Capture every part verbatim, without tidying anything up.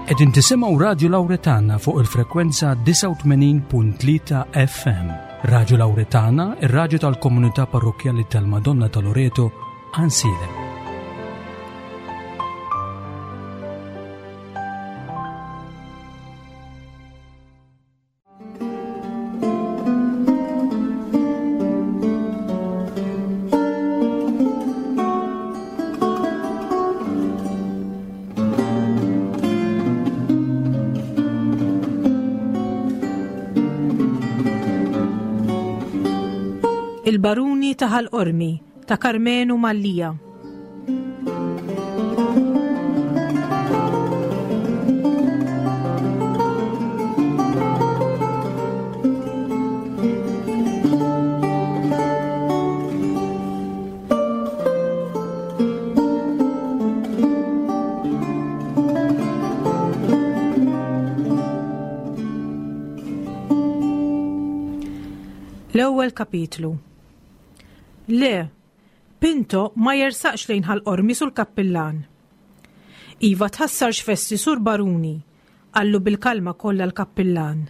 Qegħdin tisimgħu Radio Lauretana fuq il-frekwenza disgħa u tmenin punt tlieta F M. Radio Lauretana, ir-radju tal-komunità parrokjali tal-Madonna ta' Loreto, Għajnsielem. Il-Baruni ta' Ħal Qormi ta' Karmenu Mallia. L-ewwel kapitlu. Le, Pinto ma jersaqx lejn Ħal Qormi, sur kappillan. Iva, tħassarx fessi, sur baruni, qallu bil-kalma kollha l-kappillan.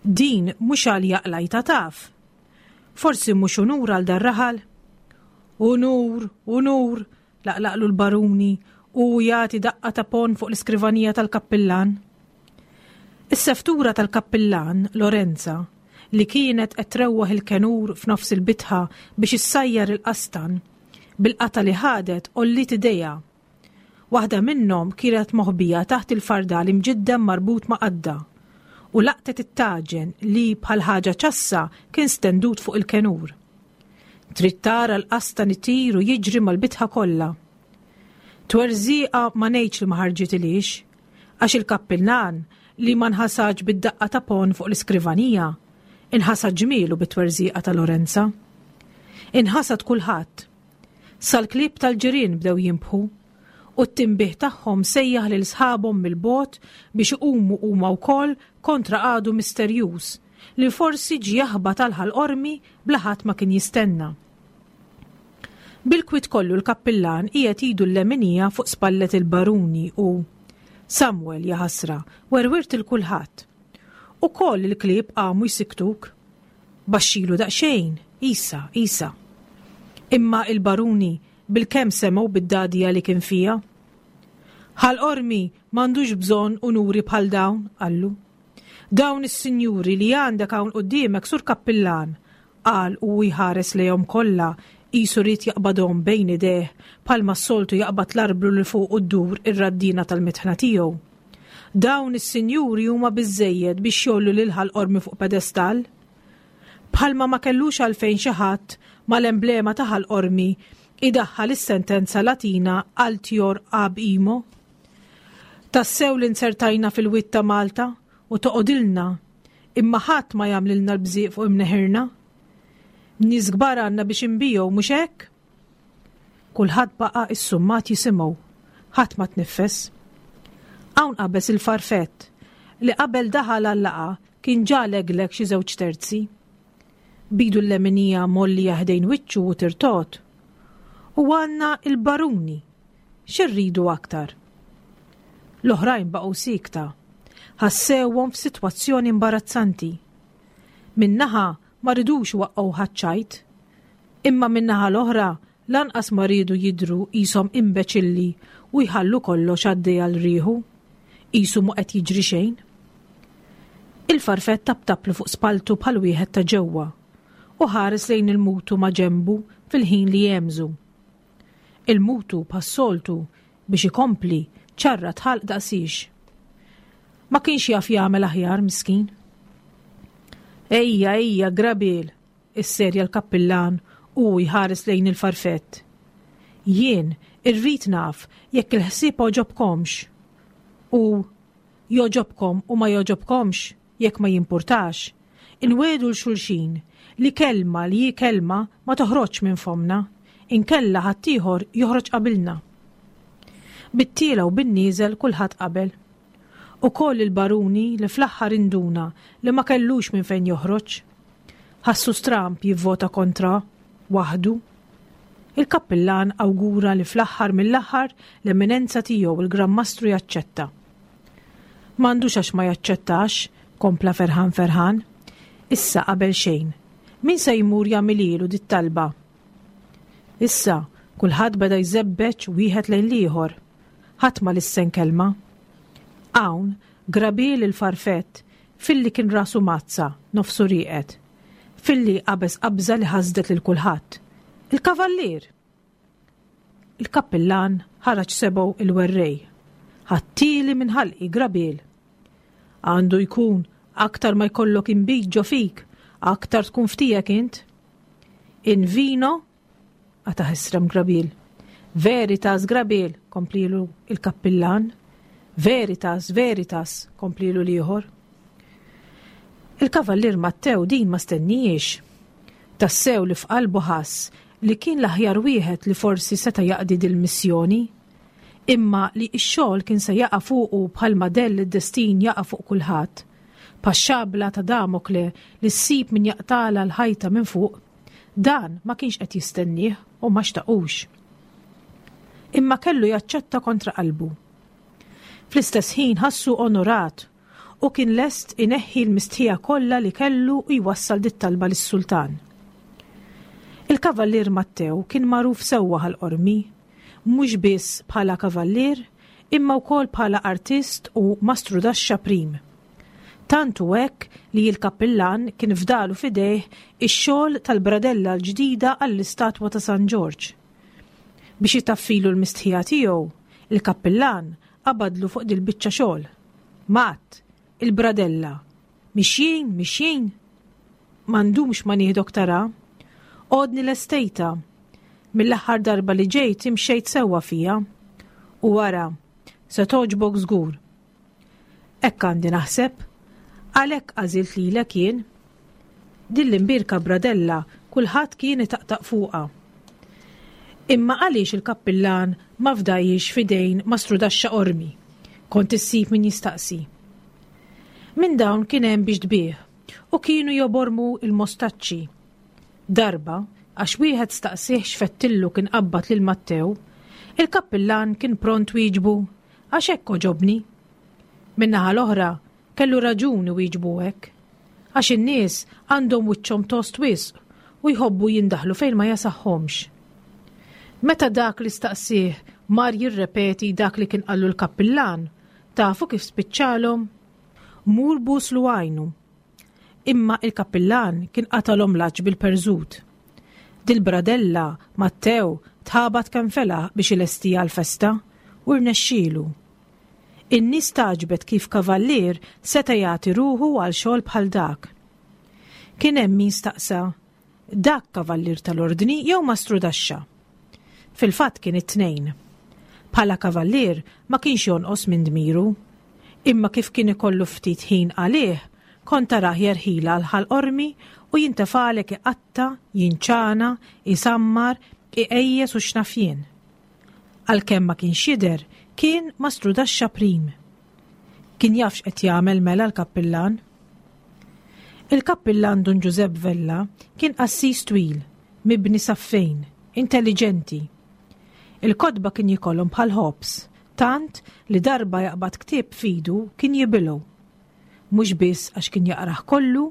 Din mhux għal jaqlajta taf. Forsi mhux unur għal dar-raħal? Unur, unur, laqlaqlu l-baruni u jagħti daqqa ta' ponn fuq l-iskrivanija tal-kappillan. Is-seftura tal-kappillan, Lorenza, li kienet qed trewwaħ il-kenur f'nofs il-bitħa biex issajjar il-qastan, bil-qata li ħadet għolliet idejha. Waħda minnhom kienet moħbija taħt il-fardal imġiddem marbut ma' qadda u laqtet it-taġen li bħal ħaġa ċassa kien stendut fuq il-kenur. Trid tara l-qastan itir u jiġri mal-bitħa kollha. Twerżiqa ma ngħidx li ma ħarġitilix, għax il-kappillan li ma nħasadx bid-daqqa ta' ponn fuq l-iskrivanija, inħasad ġmielu bit-twerżiqa ta' Lorenza. Inħasad kulħadd. Sal-klieb tal-ġirien bdew jinbħu u t-tinbiħ tagħhom sejjaħ lil sħabhom mill-bogħod biex iqumu huma wkoll kontra għadu misterjuż li forsi ġie jaħbat għal Ħal Qormi bla ħadd ma kien jistenna. Bil-kwit kollu l-kappillan qiegħed idu l-leminija fuq spallet il-baruni u Samuel, jaħasra, werwirt lil kulħadd. Ukoll il-klieb qamu jsiktuk. Baxxilu daqsxejn, isa, isa. Imma il-baruni bil-kemm semgħu bid-dadija li kien fija. Ħal Qormi m'għandux bżonn unuri bħal dawn, qallu. Dawn is-sinjuri li għandek hawn quddiemek, sur kappillan, qal u jħares lejhom kollha qisu ried jaqbadhom bejn idejh bħalma s-soltu jaqbad l-arblu li fuq ddur ir-raddina tal-mitħna tiegħu. Dawn is-sinjuri huma biżejjed biex jgħollu lil Ħal Qormi fuq pedestal. Bħalma ma kellux għalfejn xi ħadd mal-emblema ta' Ħal Qormi idaħħal is-sentenza Latina altior ab imo. Tassew li nsertajna fil-wied ta' Malta u toqodilna, imma ħadd ma jagħmlilna l-bżieq fuq imneħirna. Nies kbar għandna biex inbigħu, mhux hekk? Kulħadd baqa' issummat jisimgħu, ħadd ma tniffes. Hawn qabeż il-farfett li qabel daħal għal-laqgħa kien ġa legleg xi żewġ terzi. B'idu l-leminija mgħollija ħdejn wiċċu u tirtot. U għandna il-baruni, x'irridu aktar? L-oħrajn baqgħu siekta, ħassewhom f'sitwazzjoni imbarazzanti. Min-naħa ma ridux waqqgħu ħaċċajt, imma min-naħa l-oħra lanqas ma riedu jidhru qishom imbeċilli u jħallu kollox għaddej għal riħu, qisu mhu qed jiġri xejn. Il-farfett taptaplu fuq spaltu bħal wieħed ta' ġewwa u ħares lejn il-mutu ma' ġembu fil-ħin li jemżu. Il-mutu bħas-soltu biex ikompli ċarrat ħalq daqsix. Ma kienx jaf jagħmel aħjar, miskin. Ejja, ejja, grabil, isserja l-kappillan u jħares lejn il-farfett. Jien irrid naf jekk il-ħsieb għoġobkomx. U jogħġobkom u ma jogħġobkomx, jekk ma jimpurtax. Inwiegħdu 'l xulxin li kelma li hi kelma ma toħroġ minn fomna, inkella ħaddieħor joħroġ qabilna. Bit-tiela u bin-nieżel kulħadd qabel. Ukoll il-baruni li fl-aħħar induna li ma kellux minn fejn joħroġ. Ħassu stramp jivvota kontra waħdu. Il-kappillan awgura li fl-aħħar mill-aħħar l-eminenza tiegħu il-Gran Mastru jaċċetta. M'għandux għax ma jaċċettax, kompla ferħan ferħan. Issa qabel xejn. Min se jmur jagħmililu dit-talba? Issa, kulħadd beda jżebbeġ wieħed lejn l-ieħor. Ħadd ma lissen kelma. Hawn, Grabiel il-farfett, filli kien rasu mazza, nofsu rieqed. Filli qabeż qabża li ħasdet lil kulħadd. Il-kavallier! Il-kappillan ħaraġ sebgħu il-werrej. Ħadthieli minn ħalqi Grabiel. Għandu jkun aktar ma jkollok inbid ġo fik, aktar tkun f'tiegħek int. In vino, qata' ħesrem Grabiel. Veritas Grabiel, komplielu il-kappillan. Veritas, veritas, komplielu l-ieħor. Il-kavallier Mattew din ma stennihiex. Tassew li f'qalbu ħass li kien l-aħjar wieħed li forsi seta' jaqdi dil-missjoni. Imma li x-xogħol kien se jaqa' fuqu bħalma dell id-destin jaqa' fuq kulħadd. Bħax-xabla ta' Damokle li ssib min jaqtagħlha l-ħajta minn fuq, dan ma kienx qed jistennieh u ma xtaqux. Imma kellu jaċċetta kontra qalbu. Fl-istess ħin ħassu onorat u kien lest ineħħi l-mistħija kollha li kellu u jwassal dit-talba lis-sultan. Il-kavallier Mattew kien magħruf sewwa Ħal Qormi, mhux biss bħala kavallier, imma wkoll bħala artist u mastrudaxxa prim. Tant hu hekk li l-kappillan kien fdalu f'idejh ix-xogħol tal-bradella l-ġdida għall-istatwa ta' San Ġorġ. Biex itaffilu l-mistħija tiegħu, il-kappillan qabadlu fuq dil-biċċa xogħol. Matt, il-bradella. Mixjin, mixjin. Ma ndumx ma nieħdok tara. Għodni lestejtha. Mill-aħħar darba li ġejt imxejt sewwa fija. U wara, se togħġbok żgur. Hekk għandi naħseb. Għalhekk għażilt lilek jien. Din l-imbierka bradella kulħadd kien itaqtaq fuqha. Imma għaliex il-kappillan ma fdajiex f'idejn mastrudaxxa Qormi? Kont issib min jistaqsi. Minn dawn kien hemm biex tbigħ u kienu jobormu il-mostaċċi. Darba, għax wieħed staqsih x'fettillu kien qabbad lil Mattew, il-kappillan kien pront wieġbu għax hekk għoġobni. Min-naħa l-oħra, kellu raġun iwieġbu hekk. Għax in-nies għandhom wiċċhom tost wisq u jħobbu jindaħlu fejn ma jasaħħomx. Meta dak li staqsih mar jirrepeti dak li kien qallu l-kappillan, tafu kif spiċċalhom? Mur buslu għajnu. Imma il-kappillan kien qatalhom l-għatx bil-perżut. Dil-bradella Mattew tħabat kemm felaħ biex ilestiha għall-festa u rnexxielu. In-nies tagħġbet kif kavallier seta' jagħti ruħu għal xogħol bħal dak. Kien hemm min staqsa, dak kavallier tal-ordni jew mastrudaxxa? Fil-fatt kien it-tnejn. Bħala kavallier ma kienx jonqos minn dmiru. Imma kif kien ikollu ftit ħin għalih, kont tarah jerħilha għal Ħal Qormi u jintefalek iqatta', jinċana, isammar, iqejjes u x'naf jien. Għalkemm ma kienx jidher, kien mastrudaxxa prim. Kien jaf x'qed jagħmel mela l-kappillan. Il-kappillan Dun Ġużepp Vella kien qassis twil, mibni saffejn, intelliġenti. Il-kotba kien jikolhom bħal ħobż, tant li darba jaqbad ktieb f'idu kien jibilgħu. Mhux biss għax kien jaqrah kollu,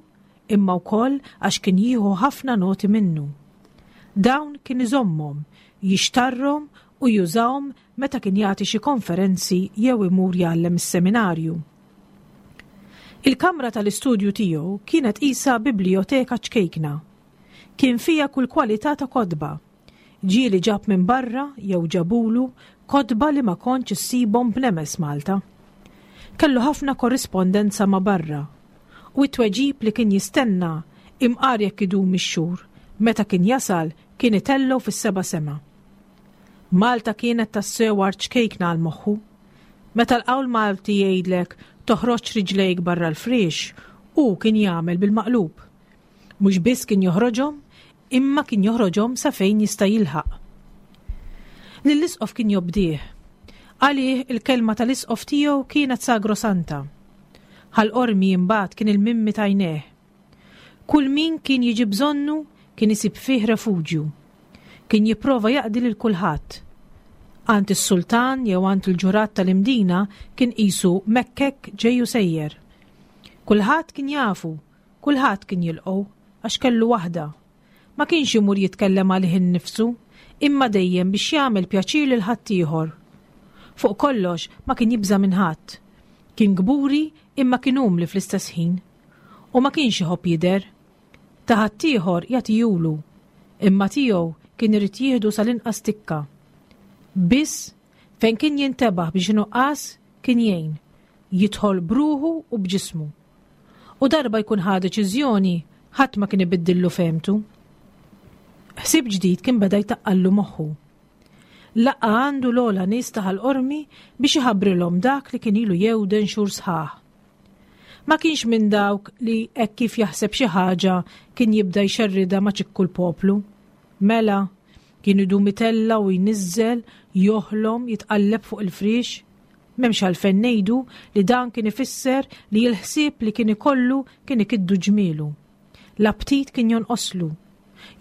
imma wkoll għax kien jieħu ħafna noti minnu. Dawn kien iżommhom, jixtarrhom u jużahom meta kien jagħti xi konferenzi jew imur jgħallem is-seminarju. Il-kamra tal-istudju tiegħu kienet qisha biblioteka ċkejkna. Kien fiha kull kwalità ta' kotba. Ġieli ġab minn barra jew ġabulu kotba li ma kontx issibhom b'nemes Malta. Kellu ħafna korrispondenza ma' barra u t-tweġib li kien jistenna imqar jekk idum ix-xhur, meta kien jasal kien itellgħu fis-seba' sema. Malta kienet tassew art ċkejkna għal moħħu. Meta l-qawl Malti jgħidlek toħroġ riġlejk barra l-friex, hu kien jagħmel bil-maqlub. Mhux biss kien joħroġhom, imma kien joħroġhom sa fejn jista' jilħaq. Lill-isqof kien jobdih. Għalih il-kelma tal-isqof tiegħu kienet sagrosanta. Ħal Qormi imbagħad kien il-mimmi t'għajnejh. Kull min kien jiġi bżonnu kien isib fih refuġju. Kien jipprova jaqdi lil kulħadd. Għand is-sultan jew għand il-ġurat tal-Imdina kien qisu mekkek ġej u sejjer. Kulħadd kien jafu, kulħadd kien jilqgħu għax kellu waħda. Ma kienx imur jitkellem għalih innifsu, imma dejjem biex jagħmel pjaċir lil ħaddieħor. Fuq kollox ma kien jibża' minn ħadd. Kien kburi imma kien umli fl-istess ħin. U ma kienx iħobb jidher. Ta' ħaddieħor jagħtihulu, imma tiegħu kien irid jieħdu sal-inqas tikka. Biss fejn kien jintebaħ biex nuqqas kien jgħin, jidħol bruħu u b'ġismu. U darba jkun ħa deċiżjoni, ħadd ma kien ibiddillu fehmtu. Ħsieb ġdid kien beda jtaqqallu moħħu. Laqqa' għandu l-ogħla nies ta' Ħal Qormi biex iħabbrilhom dak li kien ilu jewden xhur sħaħ. Ma kienx minn dawk li hekk kif jaħseb xi ħaġa kien jibda jxerridha ma' ċikku l-poplu. Mela, kien idum itella' u jniżżel, joħlom, jitqalleb fuq il-friex. M'hemmx għalfejn ngħidu li dan kien ifisser li l-ħsieb li kien ikollu kien ikiddu ġmielu. L-aptit kien jonqoslu.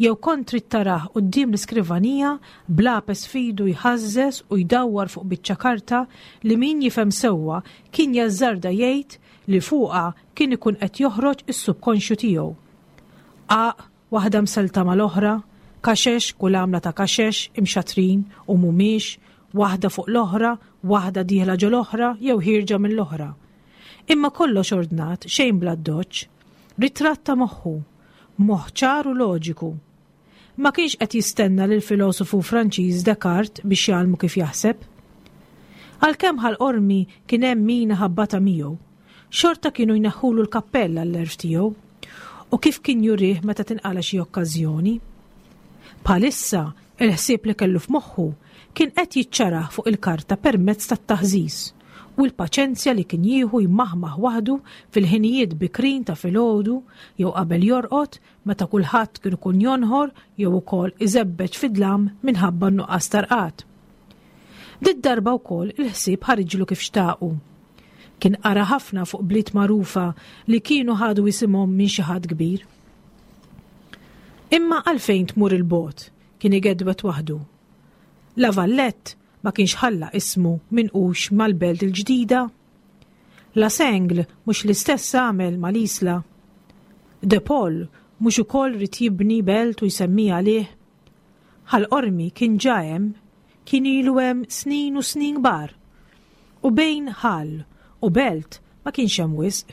Jew kont trid tarah quddiem l-iskrivanija b'lapes f'idu jħażżeż u jdawwar fuq biċċa karta li min jifhem sewwa kien jażżarda jgħid li fuqha kien ikun qed joħroġ is-subkonxju tiegħu. Qaq, waħda mselta mal-oħra, kaxex, kull għamla ta' kaxex, imxatrin u mhumiex, waħda fuq l-oħra, waħda dieħla ġo l-oħra jew ħierġa mill-oħra. Imma kollox ordnat, xejn bla ddoċċ. Ritratt ta' moħħu, moħħ ċar u loġiku. Ma kienx qed jistenna lil filosofu Franċiż Descartes biex jgħallmu kif jaħseb. Għalkemm Ħal Qormi kien hemm min ħabbata miegħu, xorta kienu jneħħulu l-kappell għall-erf tiegħu u kif kien jurih meta tinqala xi okkażjoni. Bħalissa, il-ħsieb li kellu f'moħħu kien qed jiċċarah fuq il-karta permezz tat-taħżiż u l-paċenzja li kien jieħu jmaħmaħ waħdu fil-ħinijiet bikrin ta' filgħodu jew qabel jorqod meta kulħadd kien ikun jonħor jew ukoll iżebbeġ fid-dlam minħabba n-nuqqas ta' rqad. Did-darba wkoll il-ħsieb ħariġlu kif xtaqu. Kien qara ħafna fuq bliet magħrufa li kienu ħadu isimhom minn xi ħadd kbir. Imma għalfejn tmur il-bogħod, kien igedwet waħdu. La Vallette ma kienx ħalla ismu minqux mal-belt il-ġdida. La Sengle mhux l-istess għamel mal-Isla. De Paul mhux ukoll ried jibni belt u jsemmiha għalih. Ħal Qormi kien ġa hemm, kien ilu hemm snin u snin kbar. U bejn ħal u belt ma kienx hemm wisq.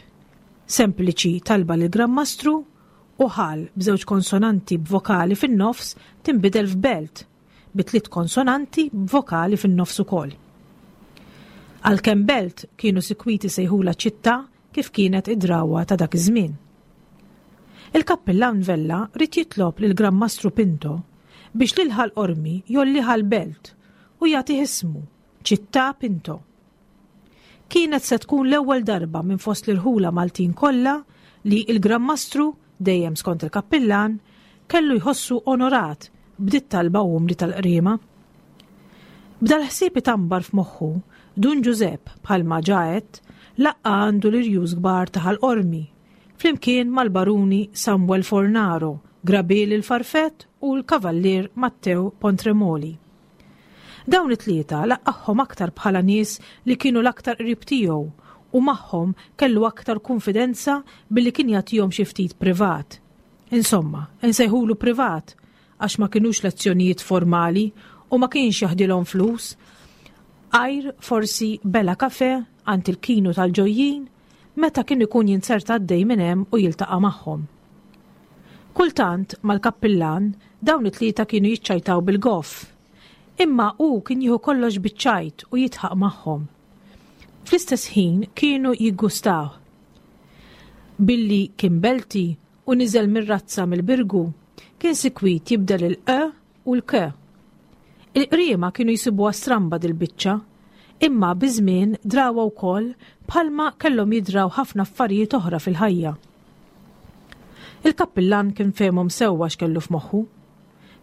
Sempliċi talba lil Gran Mastru u ħal b'żewġ konsonanti b'vokali fin-nofs tinbidel f'belt bi tliet konsonanti b'vokali fin-nofs ukoll. Għalkemm belt kienu sikwiti sejħula ċittà kif kienet id-drawwa ta' dak iż-żmien. Il-kappillan Vella ried jitlob lil Gran Mastru Pinto biex lil Ħal Qormi jgħollih għal belt u jagħtih ismu Ċittà Pinto. Kienet se tkun l-ewwel darba minn fost l-irħula Maltin kollha li il-Gran Mastru, dejjem skont il-kappillan, kellu jħossu onorat b'dit talba umli tal-qriema. B'dal-ħsieb itambar f'moħħu, Dun Ġużepp bħalma ġaet laqqa għandu l-irjus kbar ta' Ħal Qormi, flimkien mal-baruni Samuel Fornaro, Grabil il-Farfett u l-Kavallier Matteo Pontremoli. Dawn it-tlieta laqqagħhom aktar bħala nies li kienu l-aktar qrib tiegħu u magħhom kellu aktar konfidenza billi kien jagħtihom xi ftit privat. Insomma, insejħulu privat għax ma kinux lezzjonijiet formali u ma kienx jaħdilhom flus. Għajr forsi bela kafe għand il-kinu tal-ġojjin meta kien ikun jinzerta għaddej minn hemm u jiltaqa' magħhom. Kultant mal-kappillan dawn it-tlieta kienu jiċċajtaw bil-goff, imma hu kien jieħu kollox biċ-ċajt u jidħaq magħhom. Fl-istess ħin kienu jiggustaw. Billi kien belti u niżel mir-razza mill-Birgu, kien sikwit jibdel il-e u l-k. Il-qriema kienu jsibuha stramba dil-biċċa, imma biż-żmien drawha wkoll bħalma kellhom jidraw ħafna affarijiet oħra fil-ħajja. Il-kappillan kien fehmhom sewwa x'kellu f'moħħu.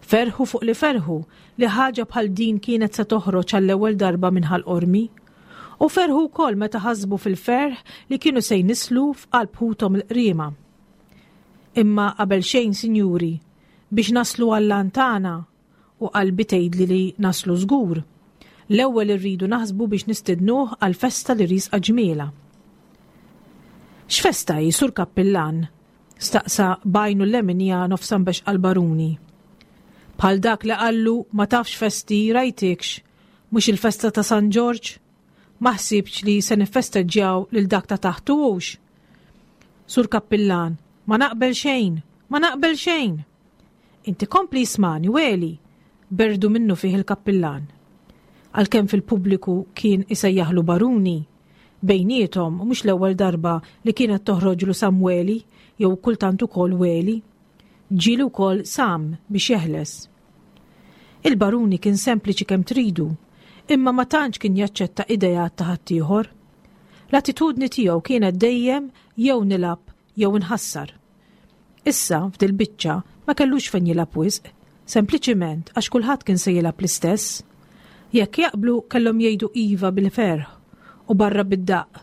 Ferħu fuq li ferħu li ħaġa bħal din kienet se toħroġ għall-ewwel darba minn Ħal Qormi, u ferħu wkoll meta ħasbu fil-ferħ li kienu se jnislu f'qalb ħuthom il-qriema. Imma qabel xejn, sinjuri, biex naslu għall-għan tagħna, u qalbi tgħidli li naslu żgur, L-ewwel irridu naħsbu biex nistidnuh għal festa li riesqa ġmiela. X'festa hi, Sur Kappillan? Staqsa b'għajnu l-leminija nofsha mbexxqa l-baruni. Bħal dak li qallu ma tafx festi rajtikx, mhux il-festa ta' San Ġorġ? Ma ħsibx li se nifesteġġjaw lil dak ta' taħtu hux. Sur Kappillan, ma naqbel xejn, ma naqbel xejn. Inti kompli ismagħni, Weli, berdu minnu fih il-kappillan. Għalkemm fil-pubbliku kien isejjaħlu baruni, bejniethom mhux l-ewwel darba li kienet toħroġlu Samweli jew kultant ukoll Weli. Ġieli wkoll Sam biex jeħles. Il-baruni kien sempliċi kemm tridu, imma ma tantx kien jaċċetta idejat ta' ħaddieħor. L-attitudni tiegħu kienet dejjem jew nilgħab jew nħassar. Issa f'dil-biċċa ma kellux fejn jilgħab wisq, sempliċiment għax kulħadd kien se jilgħab l-istess. Jekk jaqblu kellhom jgħidu iva bil-ferħ u barra bid-daqq.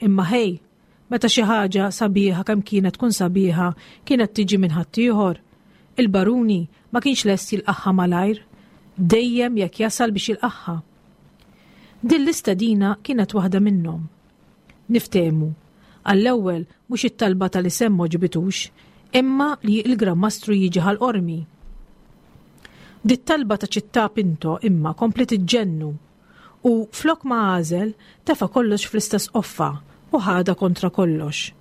Imma ħej, meta xi ħaġa sabiħa kemm kienet tkun sabiħa kienet tiġi minn ħaddieħor, il-baruni ma kienx lest jilqaħħa malajr, dejjem jekk jasal biex jilqaħħa. Din l-istedina kienet waħda minnhom. Niftehmu, għall-ewwel mhux it-talba tal-isem m'għoġbitux, imma li l-Gran Mastru jiġi Ħal Qormi. Dit-talba ta' Ċittà Pinto imma kompliet iġġennu u flok ma għażel tefa' kollox fl-istess qoffa u ħadha kontra kollox.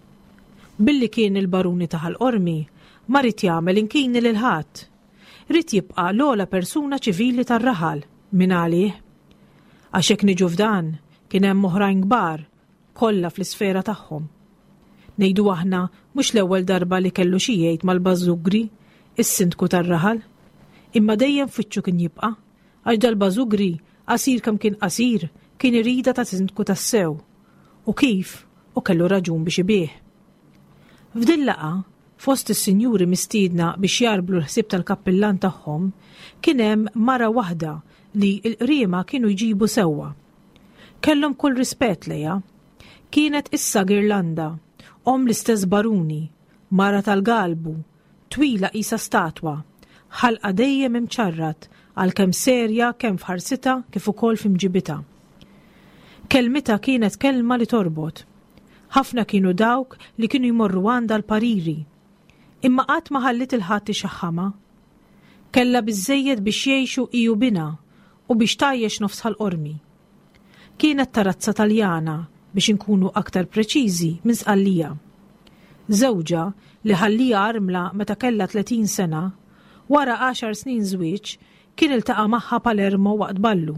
Billi kien il-baruni ta' Ħal Qormi, ma ried jagħmel inkini lil ħadd. Ried jibqa' l-ogħla persuna ċivili tar-raħal minn għalih. Għax hekk niġu f'dan, kien hemm oħrajn kbar, kollha fl-isfera tagħhom. Ngħidu aħna mhux l-ewwel darba li kellu xi jgħid mal-Bażugri, is-sindku tar-raħal. Imma dejjem f'wiċċu kien jibqa', għax dal-Bażugri, qasir kemm kien qasir, kien irida ta' sindku tassew. U kif, u kellu raġun biex ibih. F'din laqgħa, fost is-sinjuri mistiedna biex jarblu l-ħsieb tal-kappillan tagħhom, kien hemm mara waħda li l-qriema kienu jġibu sewwa. Kellhom kull rispett lejha. Kienet issa Girlanda, omm l-istess baruni, mara tal-galbu, twila qisha statwa, ħalqa dejjem imċarrat għalkemm serja kemm f'ħarsitha kif ukoll f'imġibitha. Kelmitha kienet kelma li torbot. Ħafna kienu dawk li kienu jmorru għandha l-pariri. Imma qatt ma ħallit il-ħadd ixaħħamha. Kellha biżżejjed biex jgħixu hi u binha u biex tgħajjex nofs Ħal Qormi. Kienet ta' razza Taljana biex inkunu aktar preċiżi minn Sqallija. Żewġha li ħallija armla meta kellha tletin sena, wara għaxar snin żwieġ kien iltaqa' magħha Palermo waqt ballu.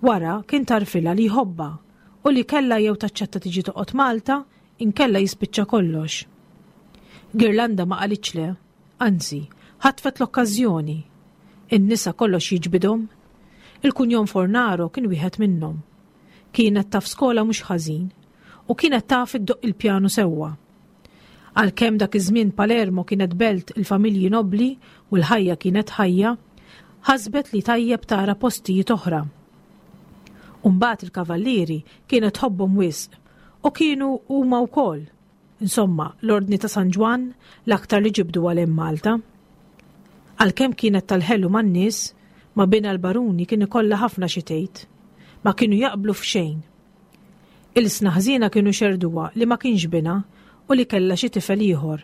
Wara kien tarfilha li jħobbha u li kellha jew taċċetta tiġi toqgħod Malta inkella jispiċċa kollox. Girlanda ma qalitx le, anzi, ħatfet l-okkażjoni. In-nisa kollox jiġbidhom. Il-kunjom Fornaro kien wieħed minnhom. Kienet taf skola mhux ħażin u kienet taf iddoqq il-pjanu sewwa. Għalkemm dak iż-żmien Palermo kienet belt il-familji nobli u l-ħajja kienet ħajja, ħasbet li tajjeb tara postijiet oħra. U mbagħad il-kavallieri kienet tħobbhom wisq u kienu huma wkoll. Insomma, l-Ordni ta' San Ġwann l-aktar li ġibdu għal hemm Malta. Għalkemm kienet tal-ħelu man-nies, ma' binha l-baruni kien ikollha ħafna xi tgħid. Ma kienu jaqblu f'xejn. Il-sna ħżiena kienu xerduha li ma kienx binha u li kellha xi tifel ieħor.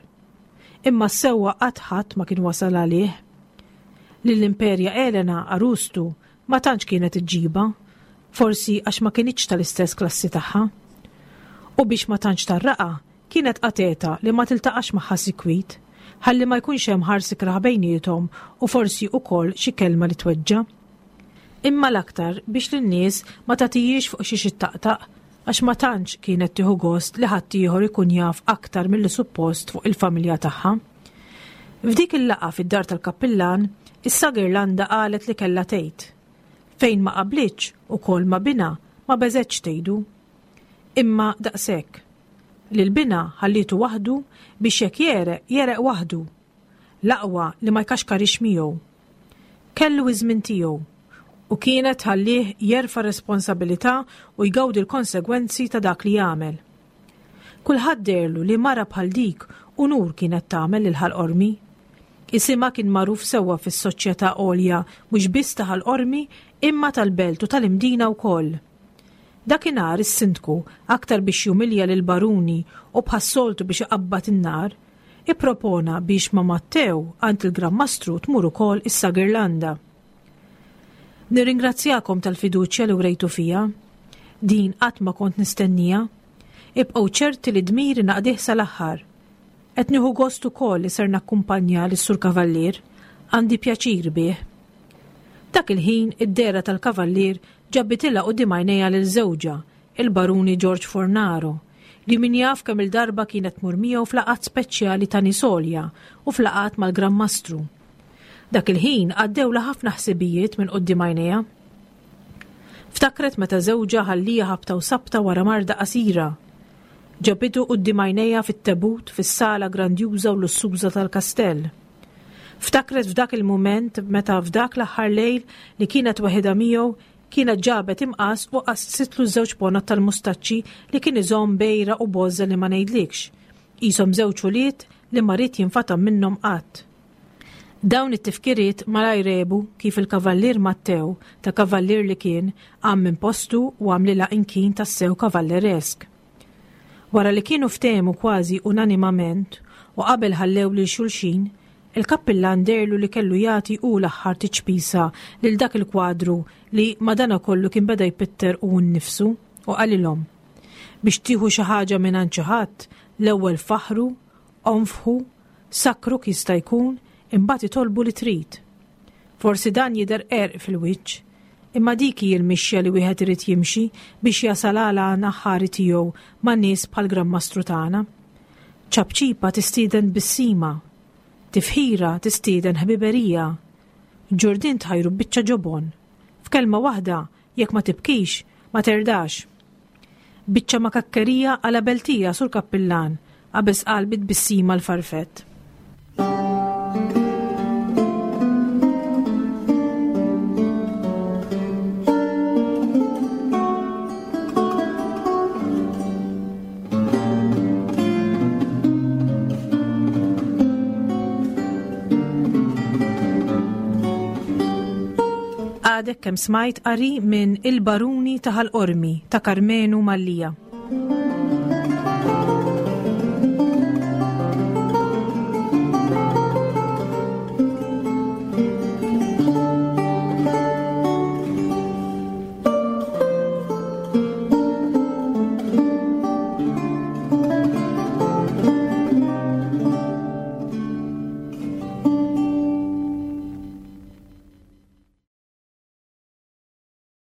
Imma s-sewwa qatt ħadd ma kien wasal għalih. Lill-Imperja Elena għarustu ma tantx kienet iġġibha, forsi għax ma kinitx tal-istess klassi tagħha. U biex ma tantx tarraqa, kienet qateta li ma tiltaqax magħha sikwit, ħalli ma jkunx hemm ħars ikrah bejniethom u forsi wkoll xi kelma li tweġġa'. Imma l-aktar biex lin-nies ma tagħtihiex fuq xiex ittaqtaq, għax ma tantx kienet tieħu gost li ħaddieħor ikun jaf aktar milli suppost fuq il-familja tagħha. F'dik il-laqgħa fid-dar tal-kappillan, issa Girlanda qalet li kellha tgħid. Fejn ma qablitx ukoll ma binha ma beżgħetx tgħidu. Imma daqshekk. Lil binha ħallietu waħdu biex jekk jereq, jereq waħdu. L-aqwa li ma jkaxkarix miegħu. Kellu iż-żmien tiegħu u kienet tħallih jerfa' responsabilità u jgawdi l-konsegwenzi ta' dak li jagħmel. Kulħadd deherlu li mara bħal dik unur kienet tagħmel lil Ħal Qormi. Isimha kien magħruf sewwa fis-soċjetà għolja mhux biss ta' Ħal Qormi imma tal-belt u tal-Imdina wkoll. Dakinhar is-sindku, aktar biex jumilja lill-baruni u bħas-soltu biex iqabbad in-nar, ippropona biex ma' Mattew għand il-Gran Mastru tmur ukoll issa Girlanda. Nirringrazzjakom tal-fiduċja li wrejtu fija. Din qatt ma kont nistennija. Ibqgħu ċerti li dmiri naqdih sal-aħħar. Qed nieħu gost ukoll li ser nakkumpanja lis-Sur Kavallier, għandi pjaċir bih. Dak il-ħin id-dehra tal-Kavallier ġabitilha quddiem għajnejha lil żewġha, il-Baruni George Fornaro, li min jaf kemm-il darba kienet tmur miegħu f'laqgħat speċjali ta' nies għolja u f'laqgħat mal-Gran Mastru. Dak il-ħin għaddewlha ħafna ħsibijiet minn quddiem għajnejha. Ftakret meta żewġha ħallieha ħabta u sabta wara marda qasira. Ġabitu quddiem għajnejha fit-tebut fis-sala grandjuża u lussuża tal-kastell. Ftakret f'dak il-mument meta f'dak l-aħħar lejl li kienet waħedha miegħu kienet ġabet imqas u qassitlu żewġ ponot tal-mustaċċi li kien iżomm bejra u boża li ma ngħidlikx. Qishom żewġ ulied li ma ried jinfatam minnhom qatt. Dawn it-tifkiriet malajr għebu kif il-Kavallier Mattew, ta' kavallier li kien, qam minn postu u għamlilha inkin tassew kavalleresk. Wara li kienu ftehmu kważi unanimament u qabel ħallew lil xulxin, il-kappillan dehrlu li kellu jagħti hu l-aħħar tiċpisa lil dak il-kwadru li madanakollu kien beda jpitter hu nnifsu u qalilhom, Biex tieħu xi ħaġa mingħand xi ħadd, l-ewwel faħħru, onfħu, sakkruk jista' jkun, imbagħad itolbu li trid. Forsi dan jidher qerq fil-wiċċ, imma dik hi l-mixja li wieħed irid jimxi biex jasal għal għan aħħari tiegħu ma' nies bħall-Gran Mastru tagħna. Ċapċipa tistieden tbissima, tifħira tistieden ħbiberija, ġurdien tħajru b'biċċa ġobon. F'kelma waħda, jekk ma tibkix, ma terdax. Biċċa makakkerija għala beltija, Sur Kappillan, qabeż qal bi tbissima l-farfett. Għadek kemm smajt qari minn Il-Baruni ta' Ħal Qormi ta' Karmenu Mallia.